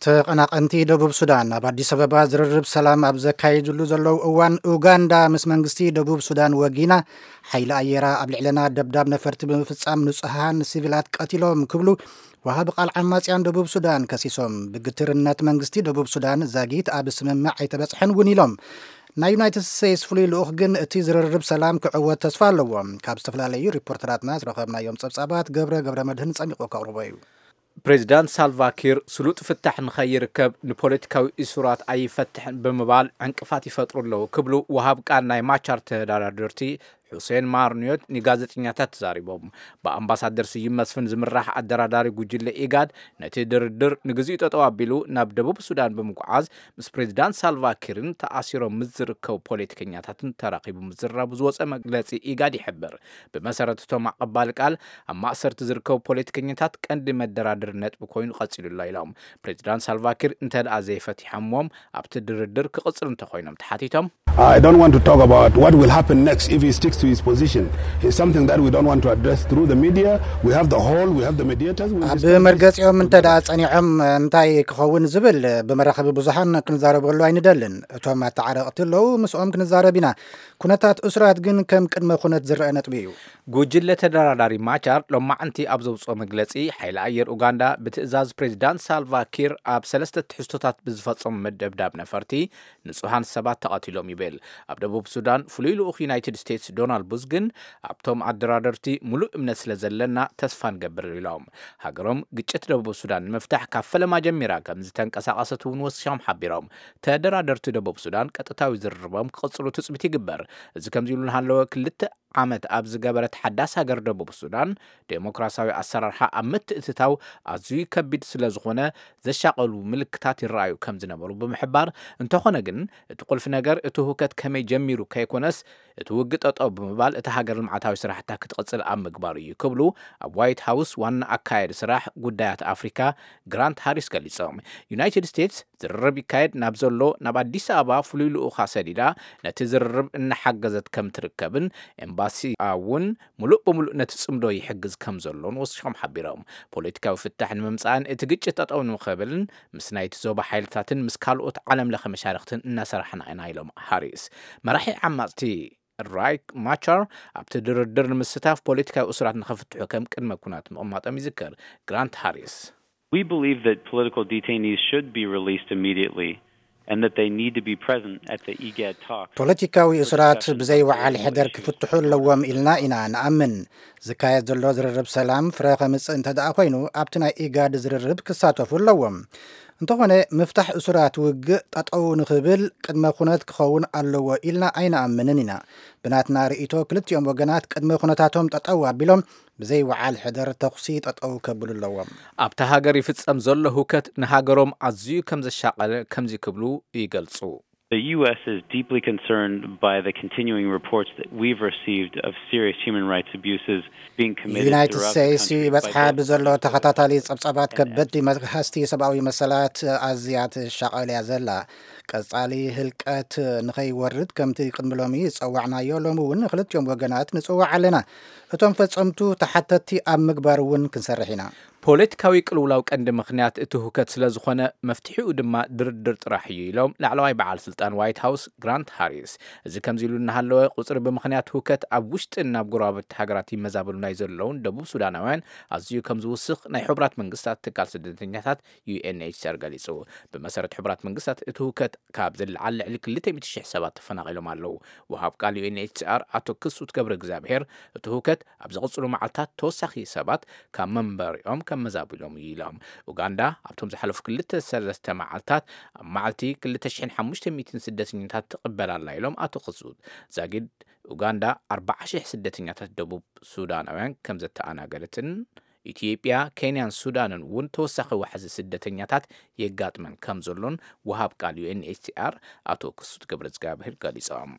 ተቐናቐንቲ ደቡብ ሱዳን ኣብ ኣዲስ ኣበባ ዝርርብ ሰላም ኣብ ዘካየድሉ ዘለዉ እዋን፣ ኡጋንዳ ምስ መንግስቲ ደቡብ ሱዳን ወጊና፣ ሓይሊ ኣየራ ኣብ ልዕለና ደብዳብ ነፈርቲ ብምፍጻም ንጹሃን ሲቪላት ቀቲሎም ክብሉ ወሃቢ ቃል ዓማጽያን ደቡብ ሱዳን ከሲሶም። ብግትርነት መንግስቲ ደቡብ ሱዳን ዛጊት ኣብ ስምምዕ ኣይተበጽሐን እውን ኢሎም። ናይ ዩናይትድ ስቴትስ ፍሉይ ልኡኽ ግን እቲ ዝርርብ ሰላም ክዕወት ተስፋ ኣለዎ። ካብ ዝተፈላለዩ ሪፖርተራትና ዝረኸብናዮም ጸብጻባት ገብረ ገብረ መድህን ጸሚቑ ከቕርቦ እዩ። ፕሬዚዳንት ሳልቫኪር ስሉጥ ፍታሕ ንኸይርከብ ንፖለቲካዊ እሱራት ኣይፈትሕን ብምባል ዕንቅፋት ይፈጥሩ ኣለዉ ክብሉ ወሃብ ቃል ናይ ማቻር ተደራደርቲ ሑሴን ማርኒዮት ንጋዜጠኛታት ተዛሪቦም። ብኣምባሳደር ስዩም መስፍን ዝምራሕ ኣደራዳሪ ጉጅለ ኢጋድ ነቲ ድርድር ንግዚኡ ጠጠው ኣቢሉ ናብ ደቡብ ሱዳን ብምጉዓዝ ምስ ፕሬዚዳንት ሳልቫኪርን ተኣሲሮም ምስ ዝርከቡ ፖለቲከኛታትን ተራኺቡ ምዝራቡ ዝወፀ መግለፂ ኢጋድ ይሕብር። ብመሰረት እቶም ኣቐባሊ ቃል ኣብ ማእሰርቲ ዝርከቡ ፖለቲከኛታት ቀንዲ መደራደሪ ነጥቢ ኮይኑ ቀፂሉ ኣሎ ኢሎም። ፕሬዚዳንት ሳልቫኪር እንተ ደኣ ዘይፈቲሖምዎም ኣብቲ ድርድር ክቕፅሉ እንተኮይኖም ተሓቲቶም። I don't want to talk about what will happen next if he sticks to his position. It's something that we don't want to address through the media. We have the hall, we have the mediators. We'll ኣብ discuss this. መርገፂኦም እንተ ደኣ ጸኒዖም እንታይ ክኸውን ዝብል ብመራኸቢ ብዙሓን ክንዛረበሉ ኣይንደልን። እቶም ኣተዓረቕቲ ኣለዉ፣ ምስኦም ክንዛረብ ኢና። ኩነታት እሱራት ግን ከም ቅድመ ኩነት ዝረአ ነጥቢ እዩ። ጉጅለ ተደራዳሪ ማቻር ሎማዕንቲ ኣብ ዘውፅኦ መግለፂ ሓይሊ ኣየር ኡጋንዳ ብትእዛዝ ፕሬዚዳንት ሳልቫ ኪር ኣብ ሰለስተ ትሕዝቶታት ብዝፈፀሙ መደብዳብ ነፈርቲ ንፁሃን ሰባት ተቐቲሎም ይብል። ኣብ ደቡብ ሱዳን ፍሉይ ልኡኽ ዩናይትድ ስቴትስ ዶናልድ ቡዝ ግን ኣብቶም ኣደራደርቲ ሙሉእ እምነት ስለ ዘለና ተስፋ ንገብር ኢሎም። ሃገሮም ግጭት ደቡብ ሱዳን ንምፍታሕ ካብ ፈለማ ጀሚራ ከም ዝተንቀሳቐሰት እውን ወሲኾም ሓቢሮም። ተደራደርቲ ደቡብ ሱዳን ቀጥታዊ ዝርርቦም ክቕፅሉ ትፅቢት ይግበር። እዚ ከምዚ ኢሉ እናሃለወ ክልተ ዓመት ኣብ ዝገበረት ሓዳስ ሃገር ደቡብ ሱዳን ዴሞክራሲያዊ ኣሰራርሓ ኣብ ምትእትታው ኣዝዩ ከቢድ ስለ ዝኾነ ዘሻቐሉ ምልክታት ይረኣዩ ከም ዝነበሩ ብምሕባር፣ እንተኾነ ግን እቲ ቁልፊ ነገር እቲ ሁከት ከመይ ጀሚሩ ከይኮነስ እቲ ውግእ ጠጠው ብምባል እታ ሃገር ልምዓታዊ ስራሕታ ክትቕፅል ኣብ ምግባሩ እዩ ክብሉ ኣብ ዋይት ሃውስ ዋና ኣካያዲ ስራሕ ጉዳያት ኣፍሪካ ግራንት ሃሪስ ገሊፆም። ዩናይትድ ስቴትስ ዝርርብ ይካየድ ናብ ዘሎ ናብ ኣዲስ ኣበባ ፍሉይ ልኡኻ ሰዲዳ ነቲ ዝርርብ እናሓገዘት ከም ትርከብን ኤምባሲ እውን ሙሉእ ብሙሉእ ነቲ ፅምዶ ይሕግዝ ከም ዘሎን ወሲኾም ሓቢሮም። ፖለቲካዊ ፍታሕ ንምምፃእን እቲ ግጭት ጠጠው ንኽብልን ምስ ናይቲ ዞባ ሓይልታትን ምስ ካልኦት ዓለም ለኸ መሻርክትን እናሰራሕና ኢና ኢሎም ሃሪስ። መራሒ ዓማፅቲ ራይክ ማቻር ኣብቲ ድርድር ንምስታፍ ፖለቲካዊ እሱራት ንኽፍትሑ ከም ቅድመ ኩናት ምቕማጦም ይዝከር። ግራንት ሃሪስ We believe that political detainees should be released immediately and that they need to be present at the IGAD talks. ፖለቲካዊ እሱራት ብዘይ ወዓል ሕደር ክፍትሑ ኣለዎም ኢልና ኢና ንኣምን። ዝካየድ ዘሎ ዝርርብ ሰላም ፍረ ከምጽእ እንተ ደኣ ኮይኑ ኣብቲ ናይ ኢጋድ ዝርርብ ክሳተፉ ኣለዎም። እንተኾነ ምፍታሕ እሱራት ውግእ ጠጠው ንኽብል ቅድመ ኩነት ክኸውን ኣለዎ ኢልና ኣይንኣምንን ኢና። ብናትና ርእይቶ ክልቲኦም ወገናት ቅድመ ኩነታቶም ጠጠው ኣቢሎም ብዘይ ወዓል ሕደር ተኹሲ ጠጠው ከብሉ ኣለዎም። ኣብታ ሃገር ይፍጸም ዘሎ ሁከት ንሃገሮም ኣዝዩ ከም ዘሻቐለ ከምዚ ክብሉ ይገልጹ። The U S is deeply concerned by the continuing reports that we've received of serious human rights abuses being committed ዩናይትድ throughout the ስቴትስ country by ይበጽሓ both ብዘሎ political ተኸታታሊ authorities ጸብጻባት and ከበድቲ መግሃስቲ ሰብኣዊ መሰላት ኣዝያ ትሻቐል እያ ዘላ። ቀጻሊ ህልቀት ንኸይወርድ ከምቲ ቅድሚ ሎሚ ዝጸዋዕናዮ ሎሚ እውን ንክልቲኦም ወገናት ንጽዋዕ ኣለና። እቶም ፈጸምቱ ተሓተትቲ ኣብ ምግባር እውን ክንሰርሕ ኢና። ፖለቲካዊ ቅልውላው ቀንዲ ምኽንያት እቲ ሁከት ስለ ዝኾነ መፍትሒኡ ድማ ድርድር ጥራሕ እዩ ኢሎም ላዕለዋይ በዓል ስልጣን ዋይት ሃውስ ግራንት ሃሪስ። እዚ ከምዚ ኢሉ እናሃለወ ቁፅሪ ብምኽንያት ሁከት ኣብ ውሽጥን ናብ ጎረባብቲ ሃገራት ይመዛበሉ ናይ ዘለውን ደቡብ ሱዳናውያን ኣዝዩ ከም ዝውስኽ ናይ ሕቡራት መንግስታት ትካል ስደተኛታት ዩ ኤን ኤች ሲ ኣር ገሊጹ። ብመሰረት ሕቡራት መንግስታት እቲ ሁከት ካብ ዝለዓል ልዕሊ ክልተ ሚእቲ ሽሕ ሰባት ተፈናቒሎም ኣለዉ። ወሃብ ቃል ዩ ኤን ኤች ሲ ኣር ኣቶ ክሱት ገብረ እግዚኣብሔር እቲ ሁከት ኣብ ዝቕፅሉ መዓልታት ተወሳኺ ሰባት ካብ መንበሪኦም ከመዛቢሎም እዩ ኢሎም። ኡጋንዳ ኣብቶም ዝሓለፉ ክልተ ሰለስተ መዓልታት ኣብ መዓልቲ ክልተ ሽሕን ሓሙሽተ ሚእትን ስደተኛታት ትቕበል ኣላ ኢሎም ኣቶ ክሱት። ዛጊድ ኡጋንዳ ኣርባዓ ሽሕ ስደተኛታት ደቡብ ሱዳናውያን ከም ዘተኣናገደትን ኢትዮጵያ፣ ኬንያን ሱዳንን እውን ተወሳኺ ዋሕዚ ስደተኛታት የጋጥመን ከም ዘሎን ወሃብ ቃል ዩ ኤን ኤች ሲ ኣር ኣቶ ክሱት ገብረ እግዚኣብሔር ገሊጾም።